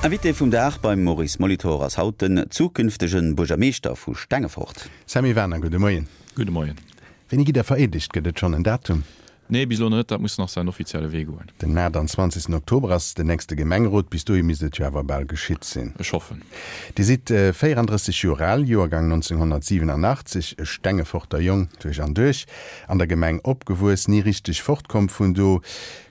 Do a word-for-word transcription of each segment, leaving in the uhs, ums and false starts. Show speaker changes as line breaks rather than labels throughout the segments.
Invité vum Dag beim Maurice Molitor ass haut den zukünftege Buergermeeschter vu Stengefort.
Sammy Werner, gudde Moien.
Gudde Moien.
Wéini gitt Der vereedegt? Gëtt et schonn en Datum?
Nee, bis elo net, dat muss nach säin offizielle Wee goen.
Den aachtanzwanzegsten Oktober ass den nächste Gemengerot. Bis dohi misst et jo awer bal geschitt sinn.
Ech hoffen.
Dir sidd véierandrësseg Joer al, Joergang nonzénghonnertsiwenanachtzeg, e Stengeforter Jong duerch an duerch, an der Gemeng opgewuess, ni richteg fortkomm vun do.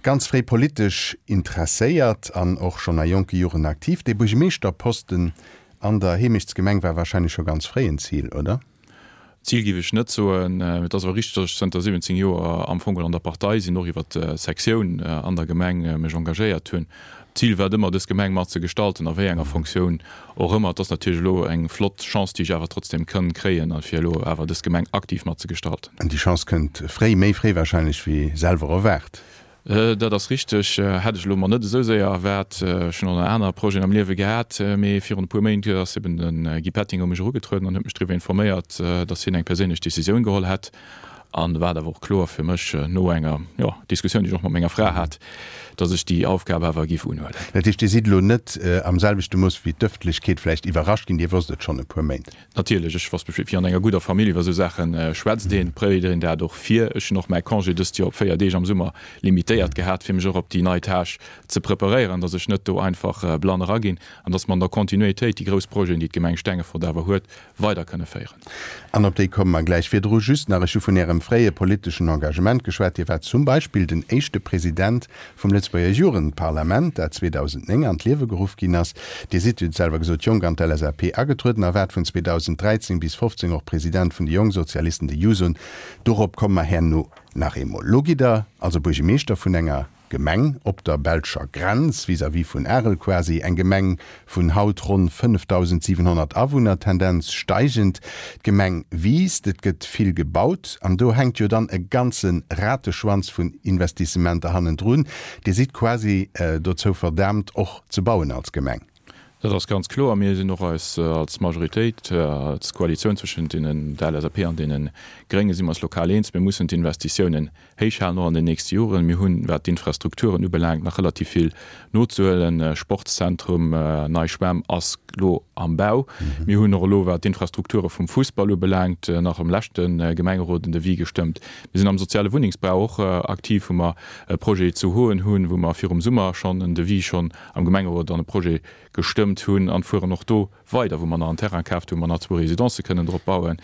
Ganz fréi politesch interesséiert an och schonn a jonke Joren aktiv. Dee Buergemeeschterposten an der Heemechtsgemeng war wahrscheinlech scho ganz fréi en Zil, oder?
Zil géif ech net soen. Et ass awer richteg, datt ech zënter siwwenzéng Joer am Fong an der Partei sinn, och iwwer d'Sektioun an der Gemeng mech engagéiert hunn. D'Zil war et ëmmer, dës Gemeng mat ze gestalten, a wéi enger Fonctioun och ëmmer. Et ass natierlech elo eng flott Chance, déi ech awer trotzdem kënn kréien, fir elo awer dës Gemeng aktiv mat ze gestalten.
An déi Chance kënnt fréi, méi fréi wahrscheinlech wéi selwer erwaart.
Dat ass richteg. Hätt ech elo mer net esou séier erwaart. Ech hunn och nach aner Projeten am Liewe gehat, mee virun e puer Méint ass eben de Guy Petting u mech erugetrueden an huet mech driwwer informéiert, datt hien eng perséinlech Decisioun geholl hätt. An da war et awer och kloer fir mech, no enger, jo, Diskussioun, déi ech och mat menger Fra hat, datt ech déi Aufgab awer géif unhuelen.
Dat heescht, Dir sidd elo net am selwechte Mooss wéi d'Ëffentlechkeet vläicht iwwerrascht ginn, Dir wosst et schonn e puer Méint?
Natierlech, ech wosst Bescheed. Wéi an enger gudder Famill iwwer esou Saache schwätzt een, préiert een dat och vir. Ech hunn och mäi Congé dëst Joer op véier Deeg am Summer limitéiert gehat, fir mech och op déi nei Tâche ze preparéieren, datt ech net do einfach blann eraginn an datt mer an der Kontinuitéit déi grouss Projeten, déi d'Gemeng Stengefort awer huet, weider kënne féieren.
An op déi komme mer gläich. Virdru just nach, ech hu vun Ärem fréie politeschen Engagement geschwat. Dir waart zum Beispill den éischte President vum Lëtzebuerger Jugendparlament, dat zweedausendnéng an d'Liewe geruff ginn ass. Dir sidd, Dir hutt et selwer gesot, jonk an d'L S A P agetrueden a waart vun zweedausendräizéng bis fofzéng och President vun de Jongsozialisten, de Jusoen. Dorop komme mer herno nach eemol. Lo gitt Der also Buergemeeschter vun enger Gemeng op der belscher Grenz, vis-à-vis vun Arel quasi, eng Gemeng vun haut ronn fënnefdausendsiwenhonnert Awunner, Tendenz steigend. D'Gemeng wiisst, et gëtt vill gebaut an do hänkt jo dann e ganze Rateschwanz vun Investissementer hannendrun. Dir sidd quasi dozou verdaamt och ze bauen als Gemeng.
Dat ass ganz kloer. Mir sinn och eis als Majoritéit, als Koalitioun zwëschent deenen, der L S A P an deene Gréngen, si mer eis lokal eens, mir mussen d'Investitiounen héich halen, och an den nächste Joren. Mir hunn, wat d'Infrastrukturen ubelaangt, nach relativ vill nozehuelen. Sportszentrum, nei Schwämm ass elo am Bau. Mir hunn och elo, wat d'Infrastrukture vum Fussball ubelaangt, nach am leschte Gemengerot en Devis gestëmmt. Mir sinn am soziale Wunnengsbau och aktiv, wou mer e Projet zu Hoen hunn, wou mer virum Summer schonn en Devis schonn am Gemengerot an e Projet gestëmmt hunn an fueren och do weider, wou mer nach en Terrain kaaft hunn, wou mer nach zwou Residencë kënnen drop bauen.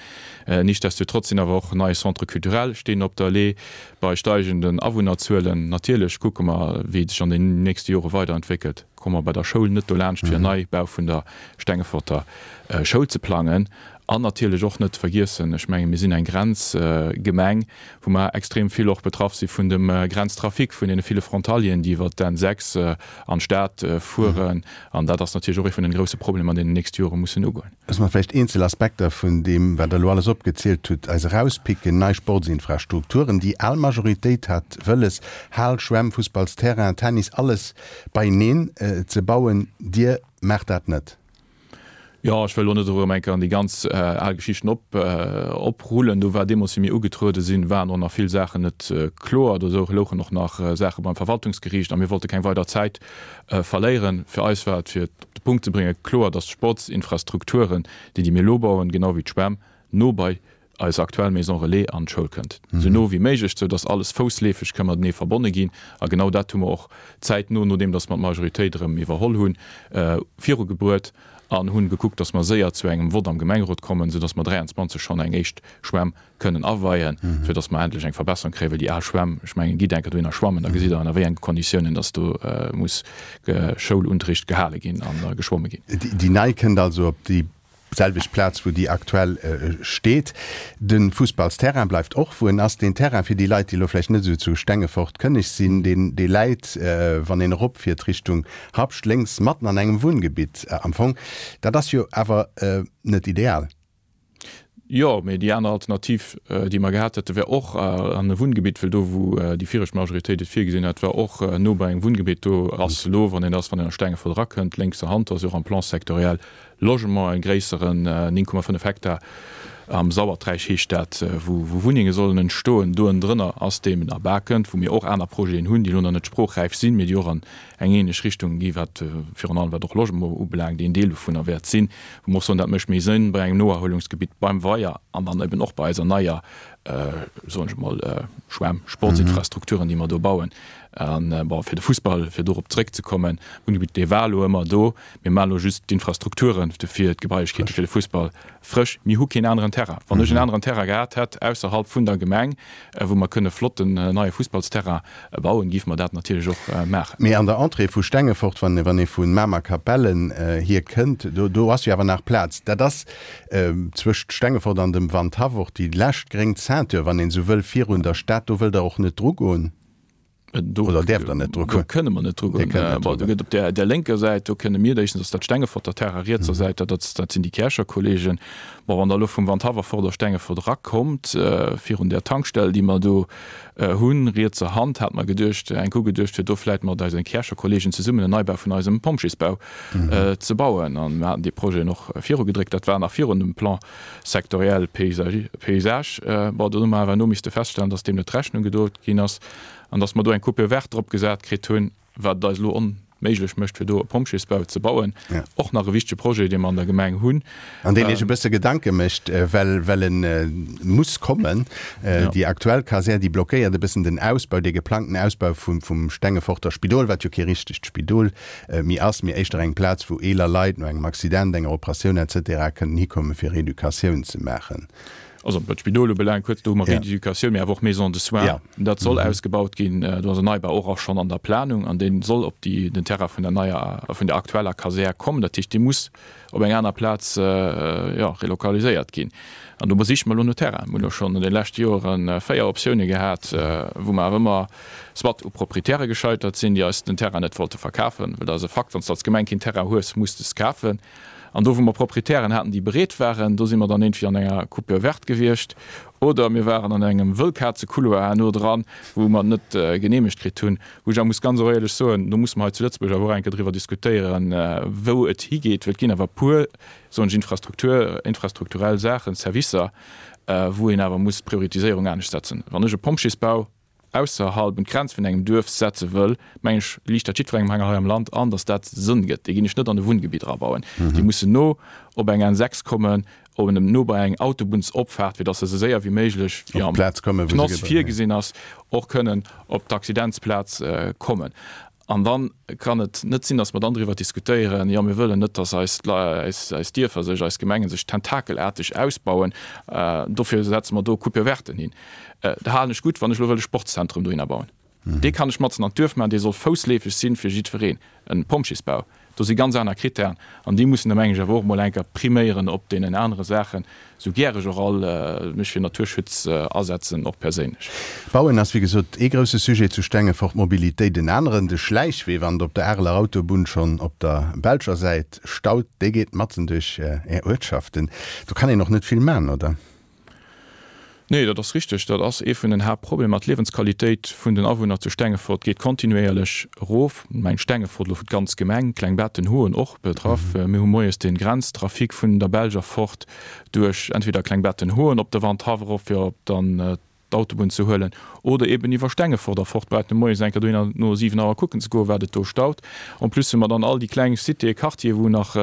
Nichtsdestotrotz sinn awer och nei Centres culturels stinn op der Lee bei steigenden Awunnerzuelen. Natierlech kucke mer, wéi et sech an den nächste Jore weiderentwéckelt. Komme mer bei der Schoul net dolaanscht, fir en Neibau vun der Stengeforter Schoul ze plangen. An natierlech och net vergiessen, ech mengen, mir sinn eng Grenzgemeng, wou mer extrem vill och betraff si vun dem Grenztrafic, vun deene ville Frontalieren, déi iwwert d'N sechs an d'Stad fueren. An dat ass natierlech och ee vun den grouse Problemer, an deenen nächste Jore mussen ugoen.
Loosse mer vläicht eenzel Aspekter vun deem, wat Der elo alles opgezielt hutt, eis erauspicken. Nei Sportsinfrastrukturen, déi al Majoritéit hat wëlles, Hal, Schwämm, Fussballsterrain, Tennis, alles beieneen ze bauen. Dir maacht dat net.
Jo, ech wëll elo net erëm eng Kéier an déi ganz al Geschichten op, oprullen. Do war deemools, wéi mir ugetruede sinn, waren och nach vill Saachen net kloer. Do louchen och nach Saache beim Verwaltungsgeriicht a mir wollte keng weider Zäit verléieren. Fir eis war et, fir et op de Punkt ze bréngen, kloer, dass d'Sportsinfrastrukturen, déi déi mir elo bauen, genau wéi d'Schwämm, no bei eis aktuell Maison Relais an d'Schoul kënnt, esou no wéi méiglech, sou dass alles foussleefeg ka matenee verbonne ginn. A genau dat hu mer och zäitno, nodeem dass mer d'Majoritéit erëm iwwerholl hunn, virugebruet an hunn gekuckt, dass mer séier zu engem Vott am Gemengerot kommen, sou dass mer dräianzwanzeg schonn eng éischt Schwämm kënnen aweien, fir dass mer endlech eng Verbesserung kréien, well déi al Schwämm, ech mengen, gitt eng Kéier dohinner schwammen, da gesitt Der, ënner wéi enge Konditiounen dass do muss Schoulunterricht gehale ginn a geschwomme ginn.
Déi nei kënnt also op déi selwecht Plaz, wou déi aktuell steet. De Fussballsterrain bleift och, wou en ass. Deen Terrain, fir déi Leit, déi elo vläicht net esou zu Stengefort kënneg sinn, deen, dee läit, wann een eropfiert Richtung Habscht, lénks matten an engem Wunngebitt am Fong. Dat ass jo awer net ideal.
Jo, mee déi aner Alternativ, déi mer gehat hätten, wär och an e Wunngebitt, well do, wou déi viregt Majoritéit et virgesinn hat, war och no bei engem Wunngebitt. Do ass elo, wann een ass, wann een a Stengefort erakënnt, lénkser Hand, ass jo och am Plan sectoriel Logement e gréisseren néng Komma fënnef Hektar Am Sauerteich heescht dat, wou wou Wunnenge sollen entstoen. Do ënnendrënner ass deem Erbakent, wou mir och aner Projeten hunn, déi elo nach net sprochräif sinn, mee déi och an eng ähnlech Richtung gi wat virun allem wat och Logement ubelaangt, een Deel dovunner wäert sinn, wou mer och soen, dat mécht méi Sënn bei engem Noerhuelungsgebitt beim Weier an dann eben och bei eiser neier, soen ech emol, Schwämm, Sportsinfrastrukturen, déi mer do bauen. An, bon, fir de Fussball, fir dorop zréckzekommen, Wunngebitt, dee war elo ëmmer do. Mir maachen elo just d'Infrastrukturen dofir, d'Gebailechkeete fir de Fussball frësch. Mir hu keen aneren Terrain. Wann ech en aneren Terrain gehat hätt ausserhalb vun der Gemeng, wou mer kënne flotten neie Fussballsterrain bauen, géife mer dat natierlech och maachen.
Mee an der Entrée vu Stengefort, wann ee vu Mamer-Kapellen hier kënnt, do do ass jo awer nach Plaz. Dat ass zwëscht Stengefort an dem Wandhaff och déi lescht gréng Ceinture, wann een esou wëll, virun der Stad. Do wëllt Der och net drugoen?
Do,
Oder däerft Der net
do
drugoen?
kënne mer net
Dir
drugoen.
kënnt net
Bon, do
drugoen.
gëtt op där, där lénker Säit, do kënne mir, éischtens ass dat Stengeforter Terrain, rietser Säit, dat ass, dat sinn déi Käercher Kollegen. Bon, wann Der elo vum Wandhaff erfort a Stengefort erakommt, virun där Tankstell, déi mer do hunn, rietser Hand, hat mer geduecht, enk ugeduecht, fir do vläicht mat eise Käercher Kollegen zesummen en Neibau vun eisem Pompjeesbau ze bauen. An mir haten dee Projet och virugedréckt. Dat war nach virun dem Plan sectoriel paysage. Bon, do hu mer awer elo misste feststellen, dass deem net Rechnung gedroe ginn ass an dass mer do eng Coupure verte drop gesat kritt hunn, wat et eis elo onméiglech mécht, fir do e Pompjeesbau ze bauen. Och nach e wichtege Projet, dee mer an der Gemeng hunn.
An deen Iech e bësse Gedanke mécht, well, well e muss kommen. Déi aktuell Kasär, déi blockéiert e bëssen den Ausbau, dee geplangten Ausbau vum, vum Stengeforter Spidol, wat jo kee richtegt Spidol méi ass, mee éischter eng Plaz, wou eeler Leit no engem Accident, enger Operatioun et cetera kënnen hikommen, fir Reeducatioun ze maachen.
Also wat d'Spidol ubelaangt, kuerz, do hu mer Reeducatioun, mee awer och Maison de soins. Dat soll ausgebaut ginn. Do ass en Neibau och och schonn an der Planung an dee soll op déi, den Terrain vun der neier, vun der aktueller Kasär kommen. Dat heescht, dee muss op eng aner Plaz, jo, relokaliséiert ginn. An do besiche mer elo no Terrainen. Mir hunn elo schonn an de leschte Jore véier Optioune gehat, wou mer awer ëmmer soit u Proprietäre gescheitert sinn, déi eis den Terrain net wollte verkafen, well dat ass e Fakt, wann s de als Gemeng keen Terrain hues, muss de s kafen. An do, wou mer Proprietären haten, déi bereet waren, do si mer dann iergendwéi an enger Coupure verte gewiescht oder mir waren an engem Wëllkaze-Couloir herno dran, wou mer et net geneemegt kritt hunn. Wou ech awer muss ganz och éierlech soen, do musse mer hei zu Lëtzebuerg awer och eng Kéier driwwer diskutéieren, wou et higeet, well et ginn awer e puer, soen ech, Infrastruktur, infrastrukturell Saachen, Servicer, wou een awer muss d'Prioritiséierung anescht setzen. Wann ech e Pompjeesbau ausserhalb un d'Grenz vun engem Duerf setze wëll, meng ech, liicht dat jiddwerengem hei am Land an, datt dat Sënn gëtt. Déi ginn ech net an e Wunngebitt erabauen. Déi mussen no op eng N sechs kommen, op en no bei eng Autobunnsopfaart, fir datt se esou séier wéi méiglech, wéi am P N O S virgesinn ass, och kënnen op d'Accidentsplaz kommen. An da kann et net sinn, datt mer dann driwwer diskutéieren, jo mir wëllen net, datt eis, eis Dierfer sech, eis Gemengen sech tentakelaarteg ausbauen, dofir setze mer do Coupure verten hin. Da halen ech gutt, wann ech elo wëll e Sportszentrum dohinner bauen. Dee kann ech matzen an d'Duerf maachen, dee soll foussleefeg sinn fir jiddwereen. E Pompjeesbau, do si ganz aner Kritären an déi mussen da meng ech awer och emol eng Kéier priméieren op deenen anere Saachen. Sou gär ech och all mech fir Naturschutz asetzen, och perséinlech.
Bauen ass wéi gesot ee grousse Sujet zu Stengefort, Mobilitéit en aneren. De Schläichwee, wann et op der Areler Autobunn schonn op der belscher Säit staut, dee geet matzen duerch Är Uertschaften. Do kann een och net vill man, oder?
Nee, dat ass richteg. Dat ass ee vun den Haaptproblemer. D'Liewensqualitéit vun den Awunner zu Stengefort geet kontinuéierlech erof. Meng Stengefort elo fir d'ganz Gemeng, Klengbetten, Hoen och betraff. Mir hu moies de Grenztrafic vun der Belsch erfort duerch entweder Klengbetten, Hoen op de Wandhaff erof, fir op dann d'Autobunn ze huelen, oder eben iwwer Stengefort erfort. Brauch net moies eng Kéier dohinner no siwen Auer kucken ze goen, wat et do staut. En plus hu mer dann all déi kleng Citéë, Quartiere, wou nach,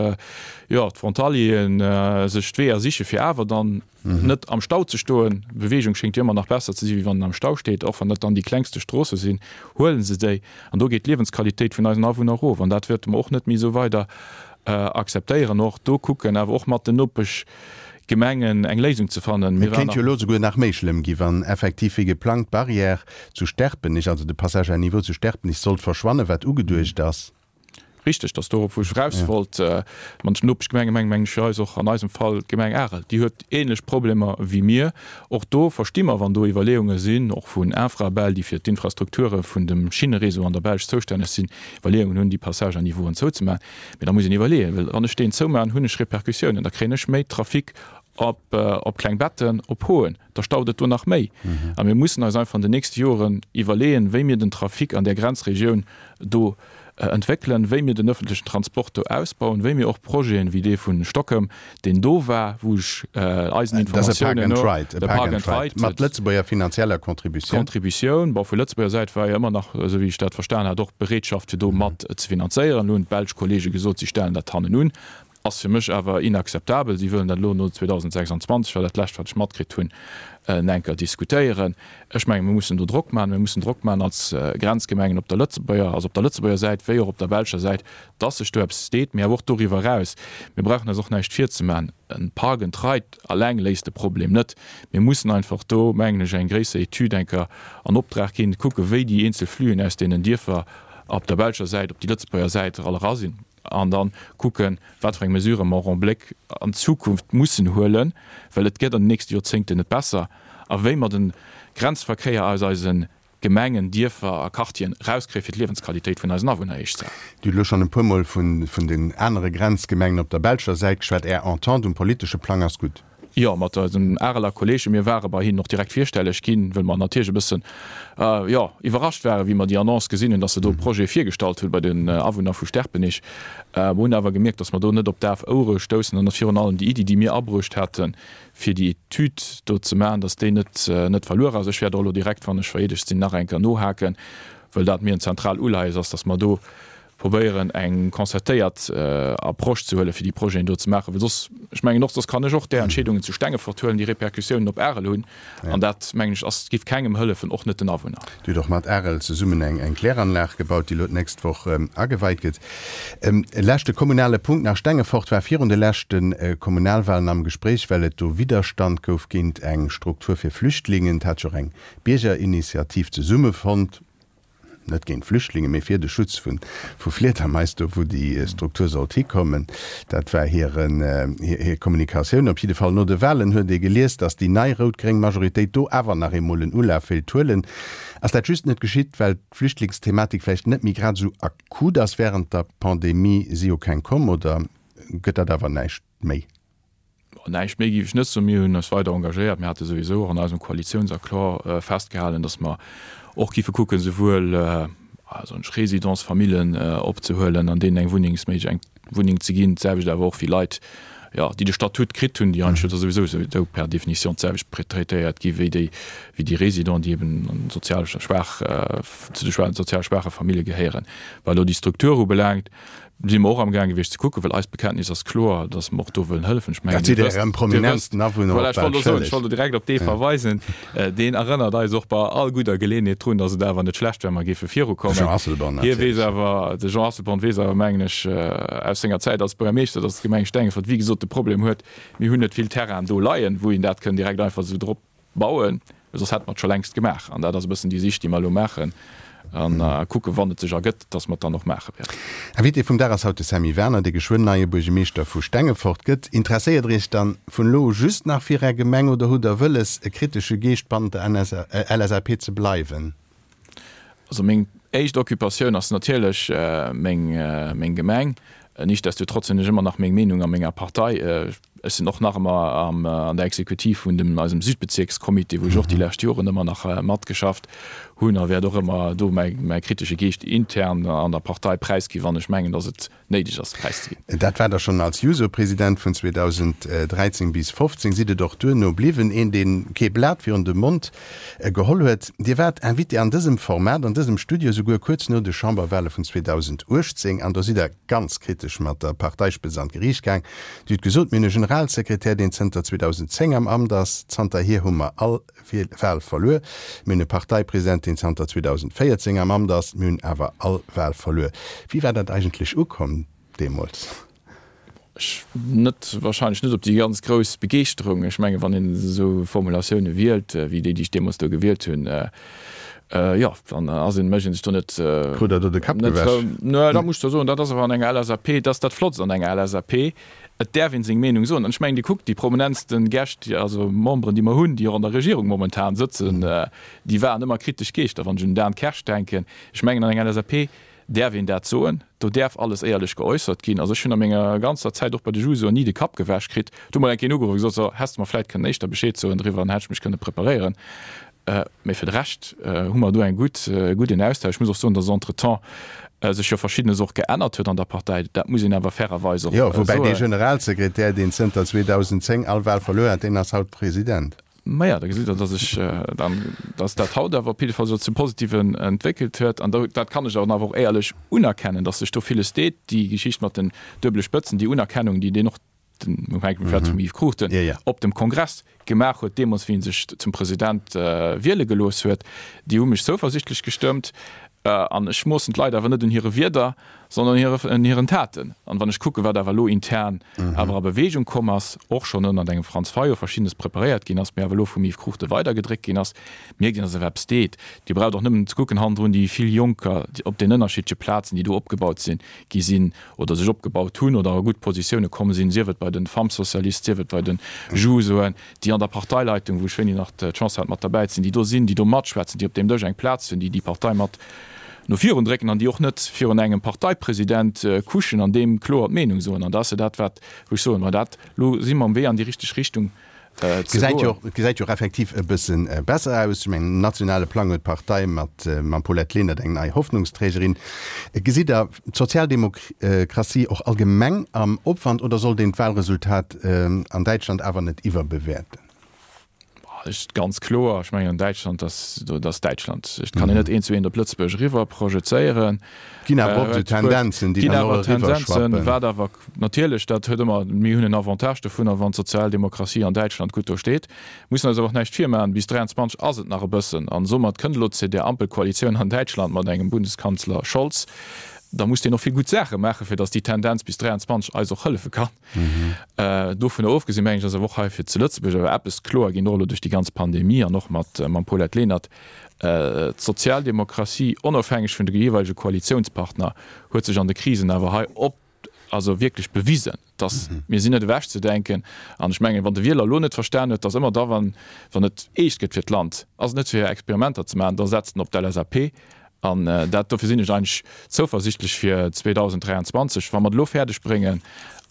jo, d'Frontalieren sech d'Weeër siche fir awer dann net am Stau ze stoen. Beweegung schéngt jo ëmmer nach besser ze si wéi wann en am Stau steet, och wann dat dann déi klengste Stroosse sinn, huele se déi. An do geet d'Liewensqualitéit vun eisen Awunner erof an dat wäerte mer och net méi esou weider akzeptéieren. Och do kucken awer och mat den Nopeschgemengen eng Léisung ze fannen.
Et kéint jo elo souguer nach méi schlëmm gi wann effektiv wéi geplangt d'Barrière zu Sterpenich, also de Passage à niveau zu Sterpenich sollt verschwannen, wat ugeduecht ass.
Richteg, dass dorop wou ech eraus wollt. Mat den Nopeschgemenge mengen mengen ech fir eis och an eisem Fall d'Gemeng Arel. Déi huet ähnlech Problemer wéi mir. Och do versti mer, wann do Iwwerleeunge sinn, och vun Infrabel, déi fir d'Infrastrukture vun dem Schinneréseau an der Belsch zoustänneg sinn, Iwwerleeungen hunn, déi Passage à niveauen zouzemaachen. Mee da muss een iwwerleeën, well wann ech deen zoumaachen, hunn ech Répercussiounen, da kréien ech méi Trafic op, op Klengbetten, op Hoen, da staut et do nach méi. A mir mussen eis einfach an den nächste Joren iwwerleeën, wéi mir den Trafic an där Grenzregioun do entwéckelen, wéi mir den öffentlichen Transport do ausbauen, wéi mir och Projeten wéi dee vu Stockem, deen do war, wou ech eisen Informatiounen no,
de Park and Ride, mat Lëtzebuerger finanzieller Contributioun.
Contributioun, bon, vu Lëtzebuerger Säit war jo ëmmer nach, esou wéi ech dat verstan hat, och d'Bereetschaft fir do mat ze finanzéieren. Elo hunn d'belsch Kollege gesot, si stellen dat hannen un. Ass fir mech awer inakzeptabel. Si wëllen dat elo no zweedausendsechsundzwanzeg, war dat lescht wat ech matkritt hunn, enker diskutéieren. Ech mengen, mir mussen do Drock maachen. Mir mussen Drock maachen als Grenzgemengen op der Lëtzebuerger, also op der Lëtzebuerger Säit wéi och op der belscher Säit, dass sech do eppes deet, mee awer och doriwwer eraus. Mir brauchen eis och näischt virzemaachen, e Park and Ride alleng léist de Problem net. Mir mussen einfach do, mengen ech, eng gréisser Etüd enker an Optrag ginn, kucken, wéi déi eenzel Fluen aus deenen Dierfer op der belscher Säit op déi Lëtzebuerger Säit all era sinn. An dann kucken, wat fir eng Mesurë mer och en Bléck an d'Zukunft mussen huelen, well et gëtt an den nächste Joerzéngten net besser, a wéi mer de Grenzverkéier aus eise Gemengen, Dierfer a Quartieren erauskréien, fir d'Liewensqualitéit vun eisen Awunner héich ze halen.
Dir hutt elo schonn e puermol vun den anere Grenzgemengen op der belscher Säit geschwat. Är Entente um politesche Plang ass gutt?
Jo, mat eisen Areler Kolleegen. Mir ware bei hinnen och direkt virstelleg ginn, wëll mer natierlech e bëssen, jo, iwwerrascht waren, wéi mer déi Annonce gesinn hunn, dass se do e Projet virgestallt hunn bei den Awunner vu Sterpenich. Mer hunn awer gemierkt, dass mer do net op daf Ouere stoussen an dass virun allem déi Iddi, déi mir abruecht haten, fir déi Etüd do ze maachen, dass déi net, net verluer ass. Ech wäert och elo direkt, wann ech vereedegt sinn, nach eng Kéier nohaken, wëll dat mir en zentral Uleies ass, dass mer do probéieren eng concertéiert Approche ze huelen, fir déi Projeten do ze maachen, well soss, ech mengen och, soss kann ech och där Entscheedungen zu Stengefort huelen, déi Répercussiounen op Arel hunn, an dat, mengen ech, ass, giff kengem hëllefen, och net den Awunner.
Dir hutt och mat Arel zesummen eng eng Kläranlag gebaut, déi elo d'nächst Woch ageweit gëtt. E leschte kommunale Punkt nach, Stengefort war virun de leschte Kommunalwahlen am Gespréich, well et do Widderstand gouf géint eng Struktur fir Flüchtlingen. Et hat sech och eng Biergerinitiativ zesummefonnt. net géint Flüchtlingen, mee fir de Schutz vu Fliedermais, do wou déi Struktur sollt hikommen. Dat war hiren, hir Kommunikatioun. Op jidde Fall no de Wahlen huet ee gelies, datt déi nei rout-gréng Majoritéit do awer nach eemol en Ulaf wéilt huelen. Ass dat just net geschitt, well d'Flüchtlingsthematik vläicht net méi grad esou akut ass? Wärend der Pandemie si jo keng komm, oder gëtt dat awer näischt méi?
Näischt méi géif ech net soen. Mir hunn eis weider engagéiert. Mir hate souwisou och an eisem Koalitiounsaccord festgehalen, datt mer och géife kucken, souwuel soen ech, Résidentsfamillen opzehuelen an deenen eng Wunnengsméig eng Wunneng ze ginn, d'selwecht awer och wéi Leit, jo, déi de Statut kritt hunn, déi eigentlech da souwisou souwisou per définition d'selwecht traitéiert gi wéi déi wéi déi Résidents, déi eben an sozial schwaach zu de sozial schwaache Famillje gehéieren. Wat elo déi Struktur ubelaangt, si mer och amgaang gewiescht ze kucken, well eist Bekenntnis ass kloer, dass mer och do wëllen hëllefen. Ech mengen,
Dat sidd
Dir wësst,
Ärem
Dir wësst,
prominentsten Awunner
voilà,
och
ech wollt
bal
elo soen, ech
schëlleg.
wollt elo direkt op dee verweisen. Deen erënnert eis och bei all gudder Geleeënheet drun, dass et awer net schlecht wär, mer géife
De
virukommen.
Jean Asselborn
Hie weess
natierlech.
awer, de Jean Asselborn weess awer, mengen ech, aus senger Zäit als Buergermeeschter, dass d'Gemeng Stengefort, wéi gesot, de Problem huet, mir hunn net vill Terrainen do leien, wou een dat kënn direkt einfach esou drop bauen, well soss hätte mer et scho längst gemaach. An dat ass e bëssen déi Sich, déi mer elo maachen a kucken, wann et sech ergëtt, dass mer et dann och maache wäerten.
Invité vum Dag ass haut de Sammy Werner, dee geschwënn neie Buergermeeschter vu Stengefort gëtt. Interesséiert Der Iech dann vun elo u just nach fir Är Gemeng oder hutt Der wëlles, e kritesche Geescht bannent der LSAP ze bleiwen?
Also meng éischt Occupatioun ass natierlech meng Gemeng. Nichtsdestotrotz hunn ech ëmmer nach meng Meenung a menger Partei. Ech sinn och nach ëmmer an der Exekutiv vun dem eisem Südbezierkscomité, wou ech och déi lescht Joren ëmmer nach matgeschafft hunn a wäert och ëmmer do mäi mäi kritesche Geescht intern an der Partei präisginn, wann ech mengen, datt et néideg ass, präiszeginn.
Dat war Der schonn als Juso-President vun zweedausenddräizéng bis fofzéng, sidd et och duerno bliwwen, een, dee kee Blat virun de Mond geholl huet. Dir waart Invité an dësem Format, an dësem Studio, souguer kuerz no de Chamberwale vun zweedausenduechtzéng, an do sidd Der ganz kritesch mat der Parteispëtzt an d'Geriicht gaang. Dir hutt gesot, Mir hunn e Generalsekretär, deen zënter zweedausendzéng am Amt ass. Zanterhier hu mer all Wal verluer. Mir hunn e Parteipresident, deen zanter zweedausendvéierzéng am Amt ass. Mir hunn awer all Wal verluer. Wéi war dat eigentlech ukomm deemools?
Ech net, wahrscheinlech net op déi ganz grouss Begeeschterung. Ech mengen, wann een esou Formulatioune wielt, wéi déi, déi ech deemools do gewielt hunn, jo, dann ass een, mécht een sech do net,
Krut Der do de Kapp
net
gewäsch?
Nö, dat muss ech der soen, dat ass awer an enger L S A P, dat ass dat Flottst an enger L S A P, et däerf een seng Meenung soen. An ech mengen, Dir kuckt déi prominentste Gäscht, also Memberen, déi mer hunn, déi och an der Regierung momentan sëtzen, déi waren ëmmer kritesch Geeschter. Wann ech un den Dan Kersch denken, ech mengen an enger L S A P, däerf een dat soen, do däerf alles éierlech geäussert ginn. Also ech hunn a menger ganzer Zäit och bei de Jusoen ni de Kapp gewäsch kritt. Do huet mol eng Kéier een ugeruff a gesot, so, häss de mer vläit kënnen éischter Bescheed soen driwwer, dann hätt ech mech kënne preparéieren. Mee fir de Rescht hu mer do eng gutt, e gudden Austausch. Ech muss och soen, datt entretemps sech jo Verschiddenes och geännert huet an der Partei. Dat muss een awer fairerweis och
soen. Jo, woubäi dee Generalsekretär, deen zënter zweedausendzéng all Wahl verluer hat, deen ass haut President.
Maja, da gesitt Der, dass ech dann, dass dat haut awer op jidde Fall sech zum Positiven entwéckelt huet. An dat kann ech awer och éierlech unerkennen, dass sech do villes deet. Déi Geschicht mat den duebele Spëtzen, déi Unerkennung, déi deen och, den, hänkt vläicht vum Yves Cruchten, op dem Kongress gemaach huet, deemools wéi e sech zum President wiele gelooss huet, déi hu mech zouversichtlech gestëmmt. An ech moossen d'Leit awer net un hire Wierder, sondern un hiren Taten. An wann ech kucken, wat awer elo intern awer a Bewegung komm ass, och schonn ënnert engem Franz Fayot Verschiddenes preparéiert ginn ass, mä awer elo vum Yves Cruchten weidergedréckt ginn ass, mierkt een, dass awer eppes deet. Dir braucht och nëmmen ze kucken hannendrun, déi vill Jonker op den ënnerschiddleche Plazen, déi do opgebaut sinn, gi sinn oder sech opgebaut hunn oder a gutt Positioune komm sinn, sief et bei de Femmes socialistes, sief et bei de Jusoen, déi an der Parteileitung, wou ech wéini nach d'Chance hat mat derbäi ze sinn, déi do sinn, déi do matschwätzen, déi op deem Dësch eng Plaz hunn, déi déi Partei mat no virun drécken an déi och net virun engem Parteipresident kuschen an deem kloer d'Meenung soen. An dat ass jo dat, wat, wou ech soen, ma dat, elo si mer um Wee an déi richteg Richtung ze goen.
Et gesäit jo och effektiv e bësse besser aus. Ech mengen, um nationale Plang huet d'Partei mat mam Paulette Lenert eng nei Hoffnungsträgerin. Gesitt Der d'Sozialdemokratie och allgemeng am Opwand oder sollt een d'Wahlresultat an Däitschland awer net iwwerbewäerten?
Ech, ganz kloer, ech mengen an Däitschland, dass, dat ass Däitschland. Et kann een net eent zu eent op Lëtzebuerg eriwwer projezéieren.
Et ginn awer oft esou Tendenzen, déi dann och eriwwer schwappen.
Wat awer natierlech, dat huet ëmmer, mir hunn en Avantage dovunner, wann d'Sozialdemokratie an Däitschland gutt do steet. Mussen eis awer och näischt virmaachen, bis dräianzwanzeg ass et nach e bëssen. An somat kënnt elo d'CDR-Ampelkoalitioun an Däitschland mat engem Bundeskanzler Scholz. Da muss deen och vill gutt Saache maachen, fir datt déi Tendenz bis dräianzwanzeg eis och hëllefe kann. Dovunner ofgesinn, mengen ech, ass awer och hei fir zu Lëtzebuerg awer eppes kloer ginn, och elo duerch déi ganz Pandemie an och mat mam Paulette Lenert, D'Sozialdemokratie, onofhängeg vun de jeeweilege Koalitiounspartner, huet sech an de Krisen awer hei op, also wierklech bewisen, datt mir sinn net ewechzedenken. An ech mengen, wann de Wieler elo net verstan huet, datt ëmmer da, wann et eescht gëtt fir d'Land, ass et net fir Experimenter ze maachen, da setzt en op d'LSAP. An dat, dofir sinn ech eigentlech zouversichtlech fir zweedausenddräianzwanzeg, wa mer et elo fäerdeg bréngen,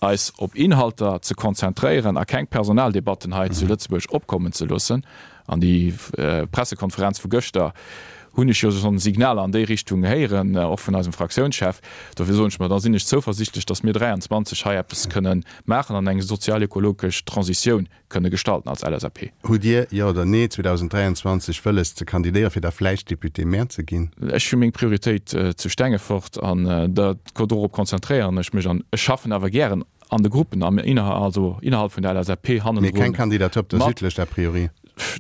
eis op Inhalter ze konzentréieren a keng Personaldebatten hei zu Lëtzebuerg opkommen ze loossen. An déi Pressekonferenz vu gëschter hunn ech jo schonn Signaler an déi Richtung héieren, och vun eisem Fraktiounschef. Dofir soen ech mer, da sinn ech zouversichtlech, datt mir dräianzwanzeg hei eppes kënnen maachen an eng sozialökologesch Transitioun kënne gestalten als L S A P.
Hutt Dir, jo oder nee, zweedausenddräianzwanzeg wëlles ze kandidéieren, fir da vläicht Député-maire ze ginn?
Ech hu meng Prioritéit zu Stengefort an dorop konzentréieren ech mech an ech schaffen awer gären an de Gruppen am also innerhalb vun der L S A P
Mee
hannendrun
keng Kandidatur op der
mat.
Südlëscht a priori?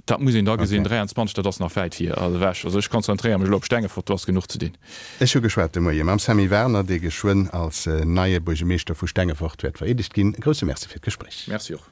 Dat muss een da gesinn.
Okay.
dräianzwanzeg, dat ass nach wäit vir ewech. Also ech konzentréiere mech elo op Stengefort, do ass genuch ze dinn.
Ech hu geschwat de Moie mam Sammy Werner, dee geschwënn als neie Buergermeeschter vu Stengefort wäert vereedegt ginn. E grousse Merci fir d'Gespréich.
Merci och.